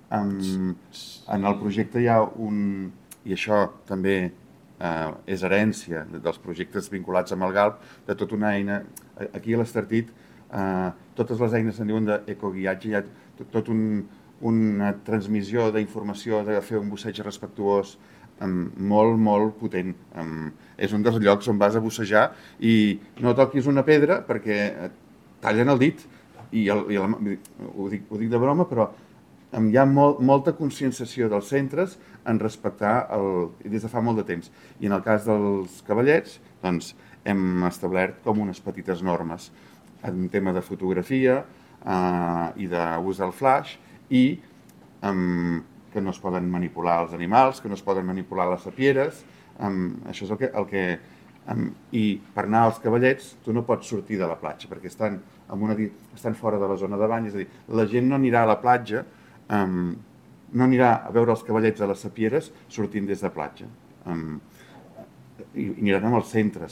En el projecte hi ha i això també és herència dels projectes vinculats amb el GALP, de tota una eina, aquí a l'Estartit, totes les eines se'n diuen d'ecoguiatge, hi ha tot una transmissió d'informació, de fer un busseig respectuós molt, molt potent. És un dels llocs on vas a bussejar i no toquis una pedra perquè et tallen el dit. Ho dic de broma, però hi ha molta conscienciació dels centres en respectar des de fa molt de temps. I en el cas dels cavallets, doncs, hem establert com unes petites normes en tema de fotografia i d'ús del flash i que no es poden manipular els animals, que no es poden manipular les sapieres. Això és el que i per anar als cavallets tu no pots sortir de la platja perquè estan fora de la zona de bany, és a dir, la gent no anirà a la platja, no anirà a veure els cavallets a les sapieres sortint des de platja. I aniran als centres.